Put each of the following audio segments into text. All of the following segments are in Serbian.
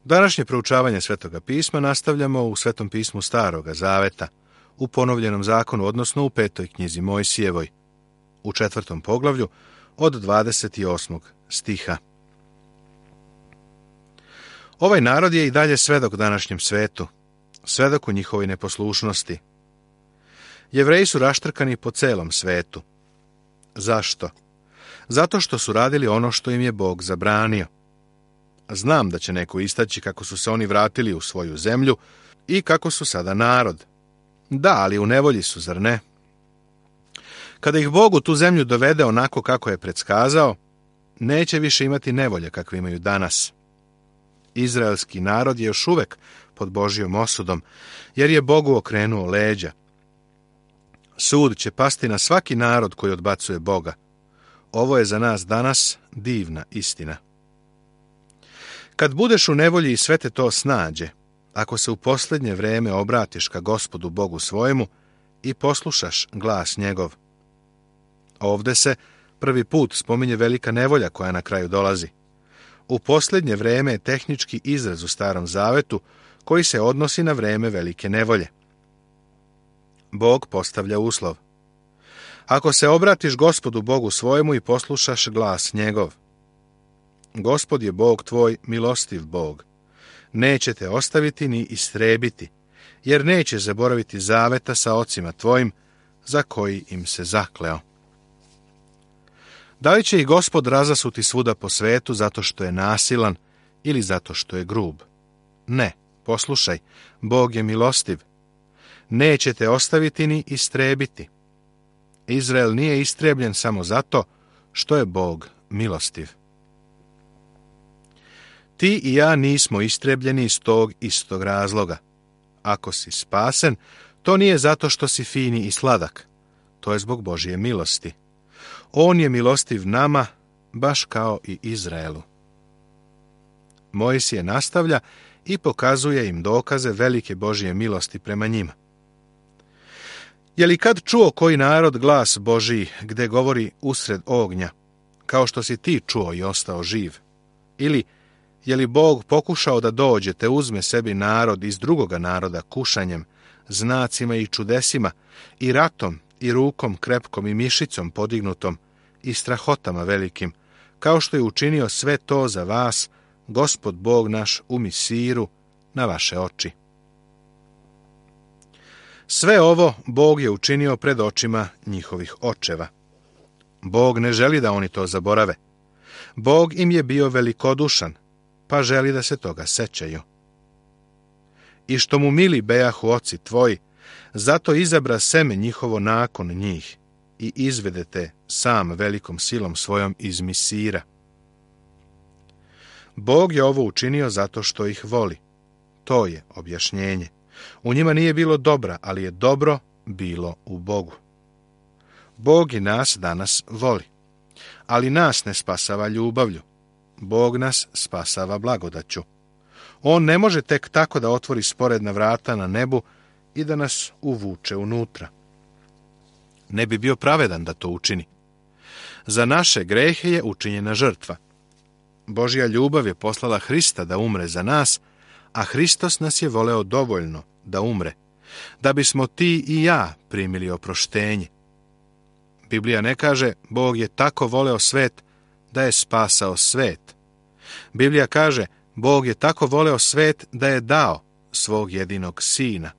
Današnje proučavanje Svetoga pisma nastavljamo u Svetom pismu Staroga Zaveta, u ponovljenom zakonu, odnosno u 5. knjizi Mojsijevoj, u 4. poglavlju od 28. stiha. Ovaj narod je i dalje svedok današnjem svetu, svedok u njihovoj neposlušnosti. Jevreji su raštrkani po celom svetu. Zašto? Zato što su radili ono što im je Bog zabranio. Znam da će neko istaći kako su se oni vratili u svoju zemlju i kako su sada narod. Da, ali u nevolji su, zar ne? Kada ih Bog u tu zemlju dovede onako kako je predskazao, neće više imati nevolje kakve imaju danas. Izraelski narod je još uvek pod Božjom osudom, jer je Bogu okrenuo leđa. Sud će pasti na svaki narod koji odbacuje Boga. Ovo je za nas danas divna istina. Kad budeš u nevolji i sve te to snađe, ako se u posljednje vreme obratiš ka Gospodu Bogu svojemu i poslušaš glas njegov. Ovde se prvi put spominje velika nevolja koja na kraju dolazi. U posljednje vreme je tehnički izraz u Starom Zavetu koji se odnosi na vreme velike nevolje. Bog postavlja uslov. Ako se obratiš Gospodu Bogu svojemu i poslušaš glas njegov. Gospod je Bog tvoj, milostiv Bog. Neće te ostaviti ni istrebiti, jer neće zaboraviti zaveta sa ocima tvojim, za koji im se zakleo. Da li će i Gospod razasuti svuda po svetu zato što je nasilan ili zato što je grub? Ne, poslušaj, Bog je milostiv. Neće te ostaviti ni istrebiti. Izrael nije istrebljen samo zato što je Bog milostiv. Ti i ja nismo istrebljeni iz tog istog razloga. Ako si spasen, to nije zato što si fini i sladak. To je zbog Božje milosti. On je milostiv nama, baš kao i Izraelu. Mojsije nastavlja i pokazuje im dokaze velike Božje milosti prema njima. Je li kad čuo koji narod glas Božji gde govori usred ognja, kao što si ti čuo i ostao živ? Ili je li Bog pokušao da dođe te uzme sebi narod iz drugoga naroda kušanjem, znacima i čudesima, i ratom, i rukom krepkom i mišicom podignutom, i strahotama velikim, kao što je učinio sve to za vas, Gospod Bog naš u Misiru, na vaše oči. Sve ovo Bog je učinio pred očima njihovih očeva. Bog ne želi da oni to zaborave. Bog im je bio velikodušan, pa želi da se toga sećaju. I što mu mili bejahu oci tvoji, zato izabra seme njihovo nakon njih i izvedete sam velikom silom svojom iz Misira. Bog je ovo učinio zato što ih voli. To je objašnjenje. U njima nije bilo dobra, ali je dobro bilo u Bogu. Bog i nas danas voli, ali nas ne spasava ljubavlju. Bog nas spasava blagodaću. On ne može tek tako da otvori sporedna vrata na nebu i da nas uvuče unutra. Ne bi bio pravedan da to učini. Za naše grehe je učinjena žrtva. Božja ljubav je poslala Hrista da umre za nas, a Hristos nas je voleo dovoljno da umre, da bismo ti i ja primili oproštenje. Biblija ne kaže, Bog je tako voleo svet da je spasao svet. Biblija kaže, Bog je tako voleo svet da je dao svog jedinog sina.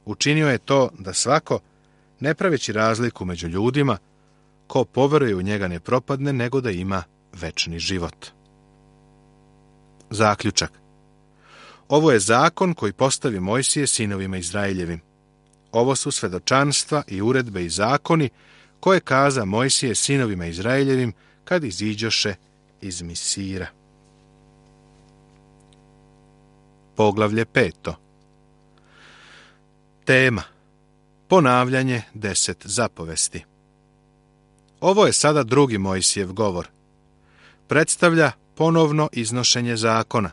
Učinio je to da svako, ne praveći razliku među ljudima, ko poveruje u njega ne propadne, nego da ima večni život. Zaključak. Ovo je zakon koji postavi Mojsije sinovima Izraeljevim. Ovo su svedočanstva i uredbe i zakoni koje kaza Mojsije sinovima Izraeljevim kad iziđoše iz Misira. Poglavlje 5. Tema. Ponavljanje 10 zapovesti. Ovo je sada drugi Mojsijev govor. Predstavlja ponovno iznošenje zakona.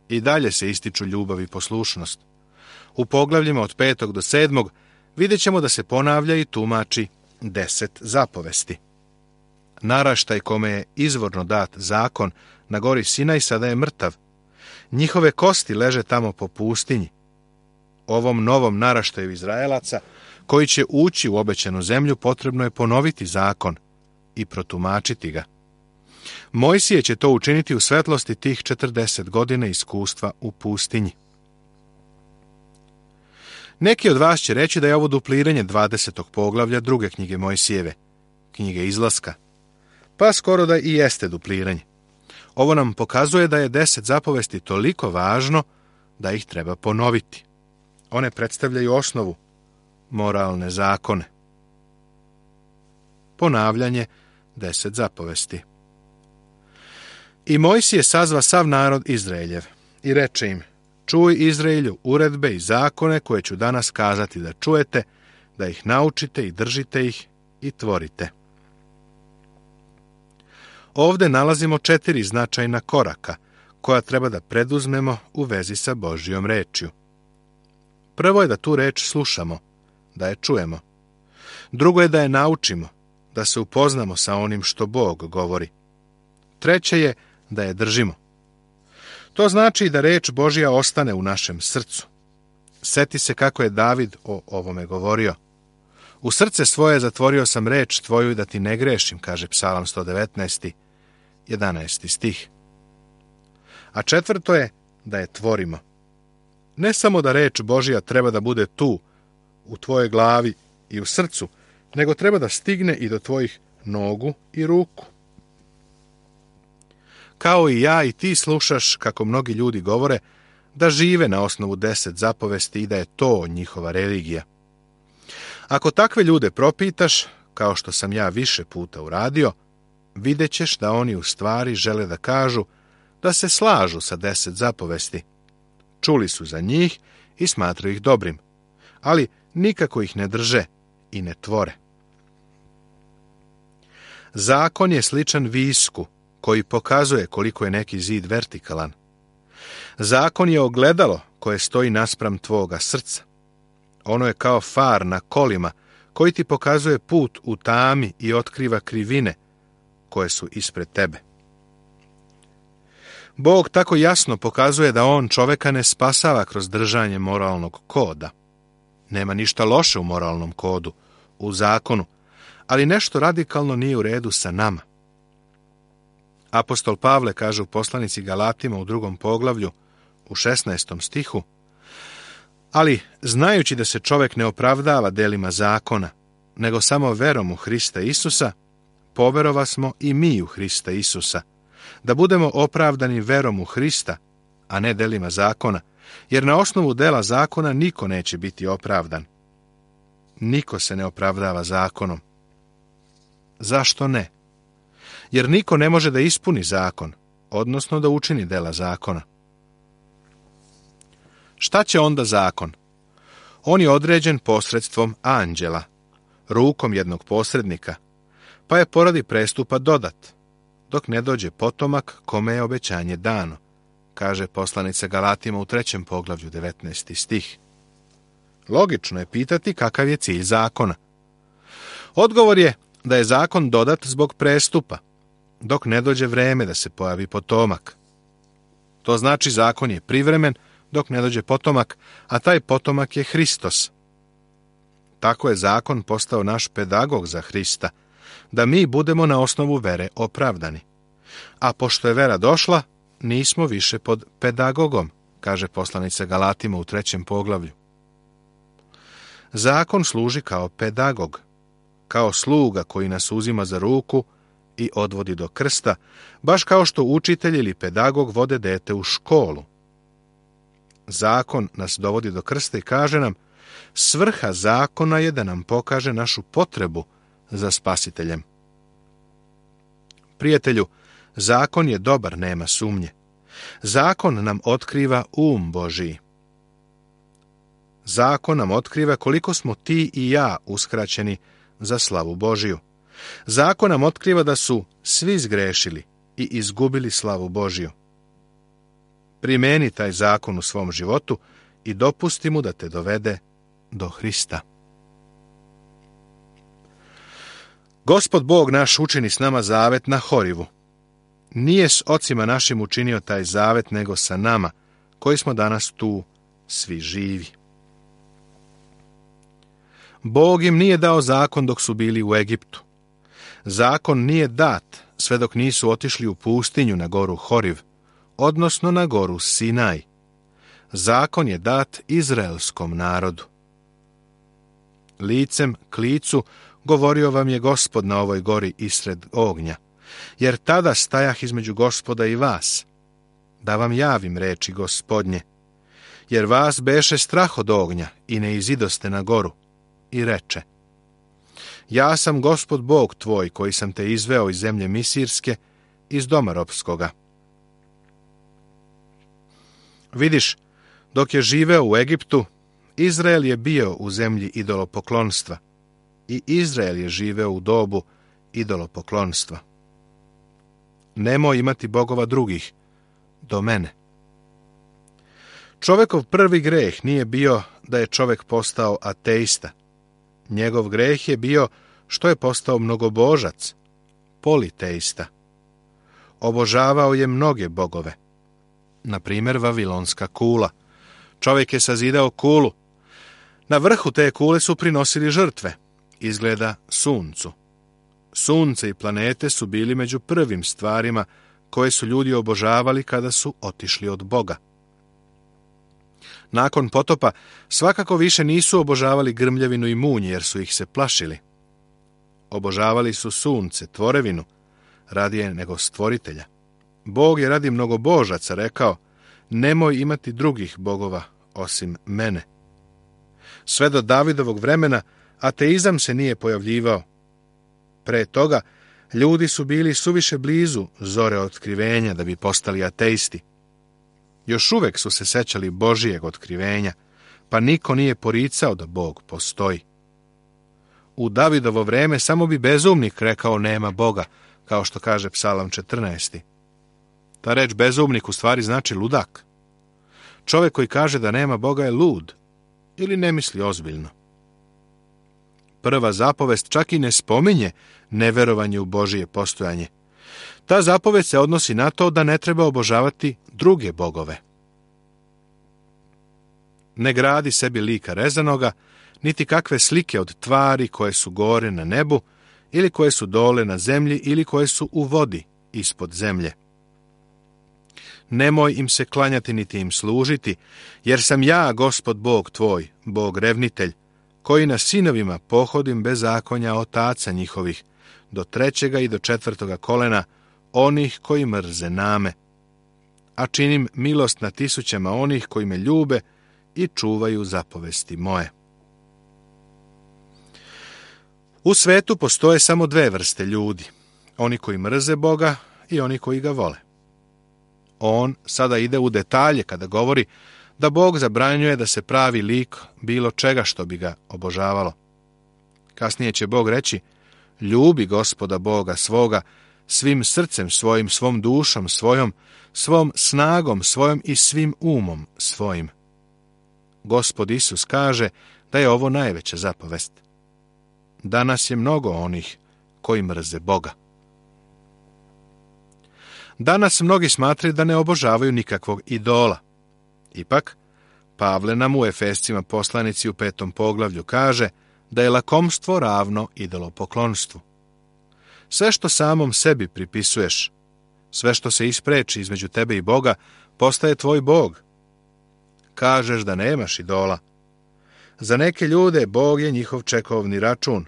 I dalje se ističu ljubav i poslušnost. U poglavljima od 5. do 7. vidjet ćemo da se ponavlja i tumači 10 zapovesti. Naraštaj kome je izvorno dat zakon na gori Sinaj sada je mrtav. Njihove kosti leže tamo po pustinji. Ovom novom naraštaju Izraelaca, koji će ući u obećanu zemlju, potrebno je ponoviti zakon i protumačiti ga. Mojsije će to učiniti u svetlosti tih 40 godina iskustva u pustinji. Neki od vas će reći da je ovo dupliranje 20. poglavlja druge knjige Mojsijeve, knjige Izlaska. Pa skoro da i jeste dupliranje. Ovo nam pokazuje da je 10 zapovesti toliko važno da ih treba ponoviti. One predstavljaju osnovu, moralne zakone. Ponavljanje 10 zapovesti. I Mojsije sazva sav narod Izraeljev i reče im: čuj, Izraelju, uredbe i zakone koje ću danas kazati da čujete, da ih naučite i držite ih i tvorite. Ovde nalazimo 4 značajna koraka koja treba da preduzmemo u vezi sa Božjom rečju. Prvo je da tu reč slušamo, da je čujemo. Drugo je da je naučimo, da se upoznamo sa onim što Bog govori. Treće je da je držimo. To znači da reč Božja ostane u našem srcu. Seti se kako je David o ovome govorio. U srce svoje zatvorio sam reč tvoju da ti ne grešim, kaže Psalam 119. 11. stih. A četvrto je da je tvorimo. Ne samo da reč Božja treba da bude tu, u tvojoj glavi i u srcu, nego treba da stigne i do tvojih nogu i ruku. Kao i ja i ti slušaš kako mnogi ljudi govore da žive na osnovu 10 zapovesti i da je to njihova religija. Ako takve ljude propitaš, kao što sam ja više puta uradio, vidjet ćeš da oni u stvari žele da kažu da se slažu sa 10 zapovesti. Čuli su za njih i smatraju ih dobrim, ali nikako ih ne drže i ne tvore. Zakon je sličan visku koji pokazuje koliko je neki zid vertikalan. Zakon je ogledalo koje stoji naspram tvoga srca. Ono je kao far na kolima koji ti pokazuje put u tami i otkriva krivine koje su ispred tebe. Bog tako jasno pokazuje da on čoveka ne spasava kroz držanje moralnog koda. Nema ništa loše u moralnom kodu, u zakonu, ali nešto radikalno nije u redu sa nama. Apostol Pavle kaže u poslanici Galatima u 2. poglavlju, u 16. stihu: ali, znajući da se čovek ne opravdava delima zakona, nego samo verom u Hrista Isusa, poverova smo i mi u Hrista Isusa, da budemo opravdani verom u Hrista, a ne delima zakona, jer na osnovu dela zakona niko neće biti opravdan. Niko se ne opravdava zakonom. Zašto ne? Jer niko ne može da ispuni zakon, odnosno da učini dela zakona. Šta će onda zakon? On je određen posredstvom anđela, rukom jednog posrednika, pa je poradi prestupa dodat, dok ne dođe potomak kome je obećanje dano, kaže poslanica Galatima u 3. poglavlju 19. stih. Logično je pitati kakav je cilj zakona. Odgovor je da je zakon dodat zbog prestupa, dok ne dođe vreme da se pojavi potomak. To znači zakon je privremen dok ne dođe potomak, a taj potomak je Hristos. Tako je zakon postao naš pedagog za Hrista, da mi budemo na osnovu vere opravdani. A pošto je vera došla, nismo više pod pedagogom, kaže poslanica Galatima u 3. poglavlju. Zakon služi kao pedagog, kao sluga koji nas uzima za ruku i odvodi do krsta, baš kao što učitelj ili pedagog vode dete u školu. Zakon nas dovodi do krsta i kaže nam: svrha zakona je da nam pokaže našu potrebu za spasiteljem. Prijatelju, zakon je dobar, nema sumnje. Zakon nam otkriva Božji. Zakon nam otkriva koliko smo ti i ja uskraćeni za slavu Božiju. Zakon nam otkriva da su svi zgrešili i izgubili slavu Božiju. Primeni taj zakon u svom životu i dopusti mu da te dovede do Hrista. Gospod Bog naš učini s nama zavet na Horivu. nije s ocima našim učinio taj zavet, nego sa nama, koji smo danas tu svi živi. Bog im nije dao zakon dok su bili u Egiptu. Zakon nije dat sve dok nisu otišli u pustinju na goru Horiv, odnosno na goru Sinaj. Zakon je dat izraelskom narodu. Licem k licu govorio vam je Gospod na ovoj gori isred ognja, jer tada stajah između Gospoda i vas, da vam javim reči Gospodnje, jer vas beše strah od ognja i ne izidoste na goru, i reče: ja sam Gospod Bog tvoj, koji sam te izveo iz zemlje Misirske, iz doma ropskoga. Vidiš, dok je živeo u Egiptu, Izrael je bio u zemlji idolopoklonstva i Izrael je živeo u dobu idolopoklonstva. Nemoj imati bogova drugih do mene. Čovekov prvi greh nije bio da je čovek postao ateista. Njegov greh je bio što je postao mnogobožac, politeista. Obožavao je mnoge bogove. Na primjer, vavilonska kula. Čovjek je sazidao kulu. Na vrhu te kule su prinosili žrtve, izgleda suncu. Sunce i planete su bili među prvim stvarima koje su ljudi obožavali kada su otišli od Boga. Nakon potopa svakako više nisu obožavali grmljavinu i munj, jer su ih se plašili. Obožavali su sunce, tvorevinu, radije nego stvoritelja. Bog je radi mnogobožaca rekao: nemoj imati drugih bogova osim mene. Sve do Davidovog vremena ateizam se nije pojavljivao. Pre toga ljudi su bili suviše blizu zore otkrivenja da bi postali ateisti. Još uvek su se sećali Božijeg otkrivenja, pa niko nije poricao da Bog postoji. U Davidovo vreme samo bi bezumnik rekao nema Boga, kao što kaže Psalam 14. Ta reč bezumnik u stvari znači ludak. Čovjek koji kaže da nema Boga je lud ili ne misli ozbiljno. Prva zapovest čak i ne spominje neverovanje u Božije postojanje. Ta zapovest se odnosi na to da ne treba obožavati druge bogove. Ne gradi sebi lika rezanoga, niti kakve slike od tvari koje su gore na nebu, ili koje su dole na zemlji, ili koje su u vodi ispod zemlje. Nemoj im se klanjati niti im služiti, jer sam ja, Gospod Bog tvoj, Bog revnitelj, koji na sinovima pohodim bezakonja otaca njihovih, do 3. i do 4. kolena, onih koji mrze name. A činim milost na tisućama onih koji me ljube i čuvaju zapovesti moje. U svetu postoje samo dve vrste ljudi, oni koji mrze Boga i oni koji ga vole. On sada ide u detalje kada govori da Bog zabranjuje da se pravi lik bilo čega što bi ga obožavalo. Kasnije će Bog reći: ljubi Gospoda Boga svoga svim srcem svojim, svom dušom svojom, svom snagom svojom i svim umom svojim. Gospod Isus kaže da je ovo najveća zapovest. Danas je mnogo onih koji mrze Boga. Danas mnogi smatraju da ne obožavaju nikakvog idola. Ipak, Pavle nam u Efescima poslanici u 5. poglavlju kaže da je lakomstvo ravno idolopoklonstvu. Sve što samom sebi pripisuješ, sve što se ispreči između tebe i Boga, postaje tvoj Bog. Kažeš da nemaš idola. Za neke ljude Bog je njihov čekovni račun,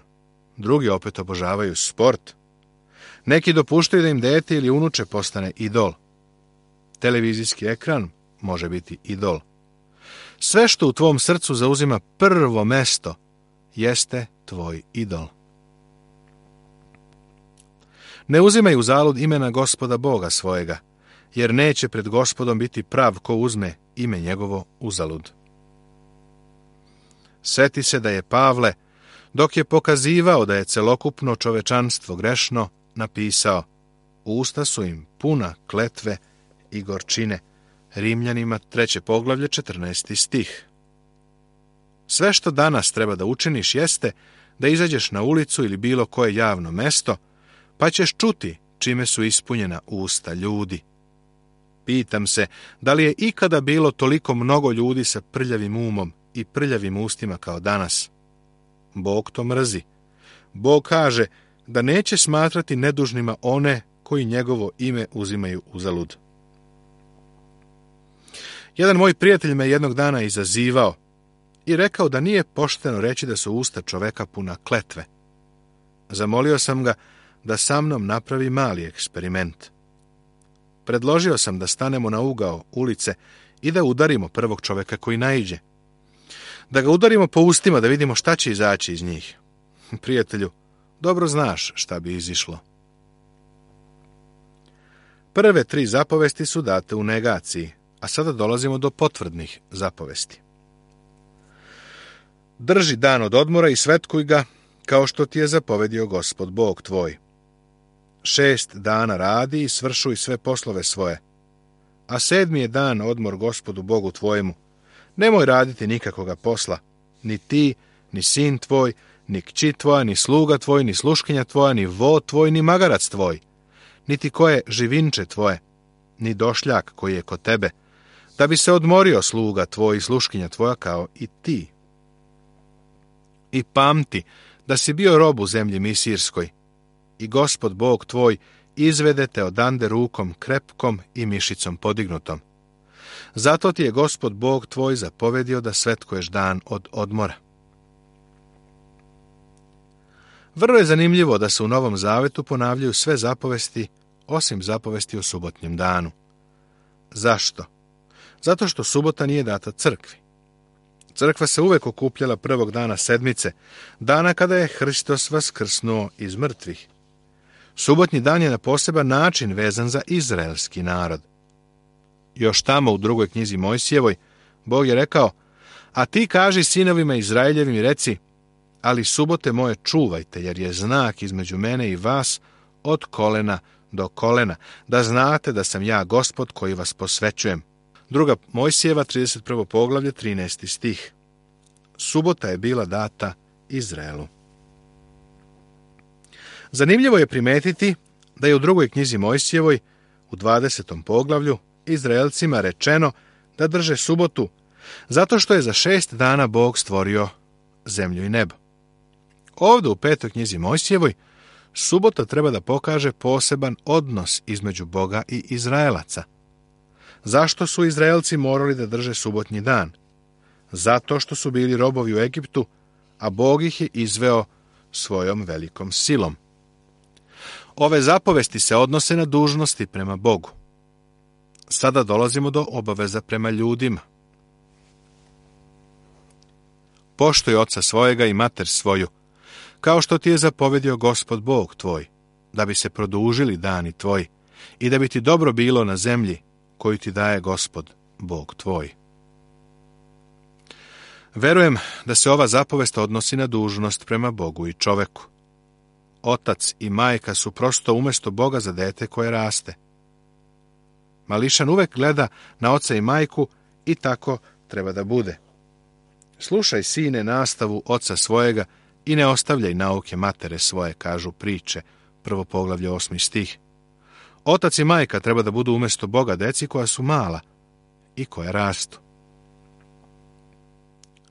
drugi opet obožavaju sport. Neki dopuštaju da im dete ili unuče postane idol. Televizijski ekran može biti idol. Sve što u tvom srcu zauzima prvo mesto jeste tvoj idol. Ne uzimaj u zalud imena Gospoda Boga svojega, jer neće pred Gospodom biti prav ko uzme ime njegovo uzalud. Seti se da je Pavle, dok je pokazivao da je celokupno čovečanstvo grešno, napisao: usta su im puna kletve i gorčine. Rimljanima 3. poglavlje 14. stih. Sve što danas treba da učiniš jeste da izađeš na ulicu ili bilo koje javno mesto, pa ćeš čuti čime su ispunjena usta ljudi. Pitam se, da li je ikada bilo toliko mnogo ljudi sa prljavim umom i prljavim ustima kao danas? Bog to mrzi. Bog kaže da neće smatrati nedužnima one koji njegovo ime uzimaju uzalud. Jedan moj prijatelj me jednog dana izazivao i rekao da nije pošteno reći da su usta čoveka puna kletve. Zamolio sam ga da sa mnom napravi mali eksperiment. Predložio sam da stanemo na ugao ulice i da udarimo prvog čoveka koji naiđe. Da ga udarimo po ustima da vidimo šta će izaći iz njih. Prijatelju, dobro znaš šta bi izišlo. Prve 3 zapovesti su date u negaciji, a sada dolazimo do potvrdnih zapovesti. Drži dan od odmora i svetkuj ga, kao što ti je zapovedio Gospod Bog tvoj. 6 dana radi i svršuj sve poslove svoje, a 7. je dan odmor Gospodu Bogu tvojemu. Nemoj raditi nikakvoga posla, ni ti, ni sin tvoj, ni kći tvoja, ni sluga tvoj, ni sluškinja tvoja, ni vo tvoj, ni magarac tvoj, niti koje živinče tvoje, ni došljak koji je kod tebe, da bi se odmorio sluga tvoj i sluškinja tvoja kao i ti. I pamti da si bio rob u zemlji Misirskoj, i Gospod Bog tvoj izvede te odande rukom krepkom i mišicom podignutom. Zato ti je Gospod Bog tvoj zapovedio da svetkuješ dan od odmora. Vrlo je zanimljivo da se u Novom Zavetu ponavljaju sve zapovesti, osim zapovesti o subotnjem danu. Zašto? Zato što subota nije data crkvi. Crkva se uvek okupljala prvog dana sedmice, dana kada je Hristos vaskrsnuo iz mrtvih. Subotnji dan je na poseban način vezan za izraelski narod. Još tamo u 2. knjizi Mojsijevoj, Bog je rekao: a ti kaži sinovima Izraeljevim i reci, ali subote moje čuvajte, jer je znak između mene i vas od kolena do kolena, da znate da sam ja Gospod koji vas posvećujem. 2. Mojsijeva, 31. poglavlje, 13. stih. Subota je bila data Izraelu. Zanimljivo je primetiti da je u 2. knjizi Mojsijevoj, u 20. poglavlju, Izraelcima rečeno da drže subotu, zato što je za 6 dana Bog stvorio zemlju i nebo. Ovdje u 5. knjizi Mojsijevoj, subota treba da pokaže poseban odnos između Boga i Izraelaca. Zašto su Izraelci morali da drže subotnji dan? Zato što su bili robovi u Egiptu, a Bog ih je izveo svojom velikom silom. Ove zapovesti se odnose na dužnosti prema Bogu. Sada dolazimo do obaveza prema ljudima. Poštuj oca svojega i mater svoju, kao što ti je zapovedio Gospod Bog tvoj, da bi se produžili dani tvoji i da bi ti dobro bilo na zemlji koju ti daje Gospod Bog tvoj. Verujem da se ova zapovest odnosi na dužnost prema Bogu i čoveku. Otac i majka su prosto umjesto Boga za dete koje raste. Mališan uvek gleda na oca i majku i tako treba da bude. Slušaj, sine, nastavu oca svojega i ne ostavljaj nauke matere svoje, kažu priče, 1. poglavlje 8. stih. Otac i majka treba da budu umjesto Boga deci koja su mala i koja rastu.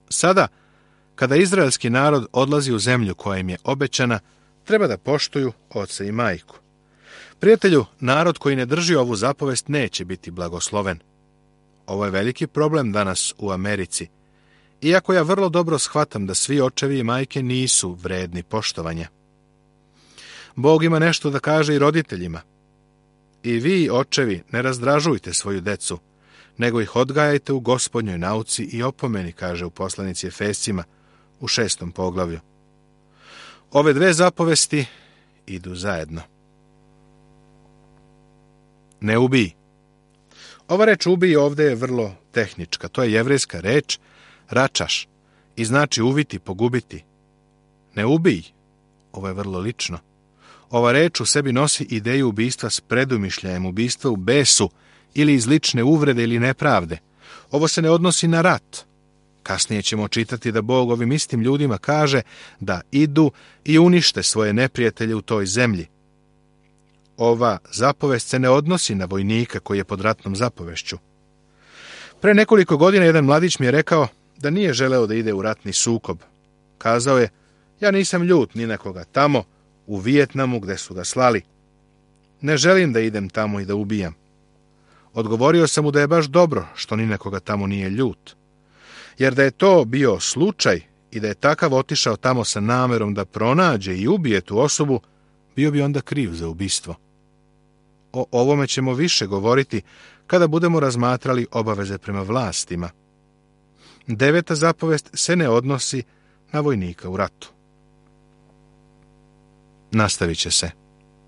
Sada, kada izraelski narod odlazi u zemlju koja im je obećana, treba da poštuju oca i majku. Prijatelju, narod koji ne drži ovu zapovest neće biti blagosloven. Ovo je veliki problem danas u Americi. Iako ja vrlo dobro shvatam da svi očevi i majke nisu vredni poštovanja. Bog ima nešto da kaže i roditeljima. I vi, očevi, ne razdražujte svoju decu, nego ih odgajajte u Gospodnjoj nauci i opomeni, kaže u poslanici Efescima u 6. poglavlju. Ove 2 zapovesti idu zajedno. Ne ubij. Ova reč ubij ovdje je vrlo tehnička. To je jevrejska reč račaš i znači uviti, pogubiti. Ne ubij. Ovo je vrlo lično. Ova reč u sebi nosi ideju ubistva s predumišljajem, ubistva u besu ili iz lične uvrede ili nepravde. Ovo se ne odnosi na rat. Kasnije ćemo čitati da Bog ovim istim ljudima kaže da idu i unište svoje neprijatelje u toj zemlji. ova zapovest se ne odnosi na vojnika koji je pod ratnom zapovešću. Pre nekoliko godina jedan mladić mi je rekao da nije želeo da ide u ratni sukob. Kazao je, ja nisam ljut ni na koga tamo, u Vijetnamu gde su ga slali. Ne želim da idem tamo i da ubijam. Odgovorio sam mu da je baš dobro što ni na koga tamo nije ljut. Jer da je to bio slučaj i da je takav otišao tamo sa namerom da pronađe i ubije tu osobu, bio bi onda kriv za ubistvo. O ovome ćemo više govoriti kada budemo razmatrali obaveze prema vlastima. 9. zapovest se ne odnosi na vojnika u ratu. Nastavit će se.